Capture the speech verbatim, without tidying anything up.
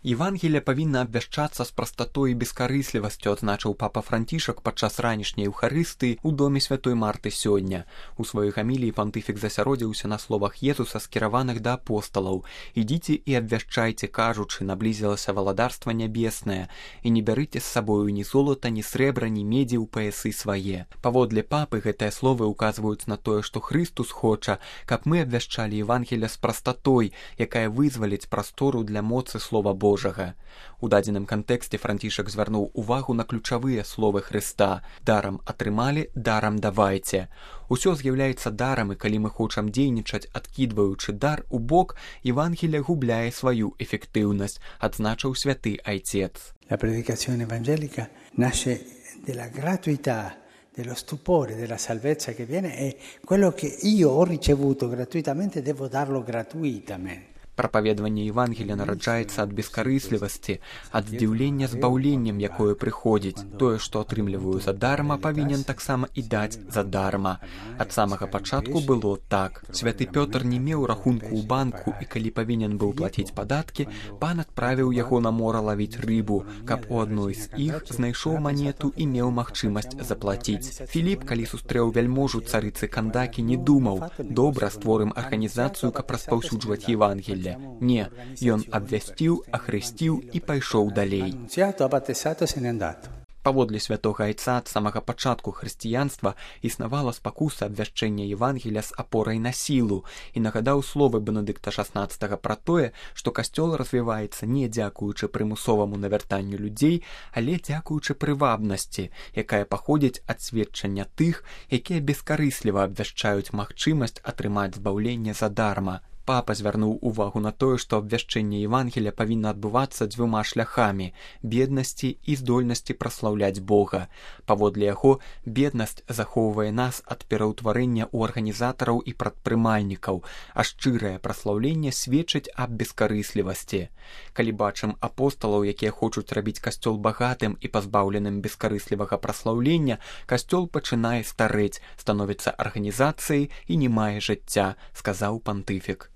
Евангелие павінна абвяшчацца з прастатой і бескарыслівасцю, адзначыў папа Францішак падчас ранішняй Еўхарыстыі ў доме святой Марты сёння. У сваёй гаміліі пантыфік засяродзіўся на словах Езуса, скіраваных да апосталаў: «Ідзіце і абвяшчайце, кажучы, наблізілася валадарства нябеснае, і не бярыце з сабою ні золата, ні срэбра, ні медзі ў паясы свае». Паводле папы гэтыя словы ўказваюць на тое, што Хрыстус хоча, каб мы абвяшчалі Евангелие з прастатой, якая вызваліць прастору для моцы слова Божага. У дадзеным кантэксце Францішак звярнуў увагу на ключавыя словы Хрыста: «Дарам атрымалі, дарам давайце». Усё з'яўляецца дарам, і калі мы хочам дзейнічаць, адкідваючы дар у бок, Евангелие губляе сваю эфектыўнасць, адзначыў святы айцец. La predicazione evangelica nasce della gratuità, dello stupore, della salvezza che viene, e quello che io ho ricevuto gratuitamente devo darlo gratuitamente. Прапаведванне Евангелія нараджаецца ад бескарыслівасці, ад здзіўлення збаўленнем, якое прыходзіць. Тое, што атрымліваю задарма, павінен таксама і даць задарма. Ад самага пачатку было так. Святы Пётр не меў рахунку ў банку, і калі павінен быў плаціць падаткі, пан адправіў яго на мора лавіць рыбу, каб у адной з іх знайшоў манету і меў магчымасць заплаціць. Філіп, калі сустрэў вяльможу царыцы Кандакі, не думаў: «Добра, створым арганізацыю, каб распаўсюджваць Евангелие». Не, ён абвясціў, ахрысціў і пайшоў далей. Паводле святога айца, ад самага пачатку хрысціянства існавала спакуса абвяшчэння Евангелія з апорай на сілу, і нагадаў словы Бенедыкта шаснаццатага пра тое, што касцёл развіваецца не дзякуючы прымусоваму навяртанню людзей, але дзякуючы прывабнасці, якая паходзіць ад сведчання тых, якія бескарысліва абвяшчаюць магчымасць атрымаць збаўленне задарма. Папа звярнуў увагу на тое, што абвяшчэнне Евангелія павінна адбывацца дзвюма шляхамі – беднасці і здольнасці праслаўляць Бога. Паводле яго, беднасць захоўвае нас ад пераўтварэння ў арганізатараў і прадпрымальнікаў, а шчырае праслаўленне сведчыць аб бескарыслівасці. Калі бачым апосталаў, якія хочуць рабіць касцёл багатым і пазбаўленым бескарыслівага праслаўлення, касцёл пачынае старэць, становіцца арганізацыяй і не мае жыцця, сказаў пантыфік.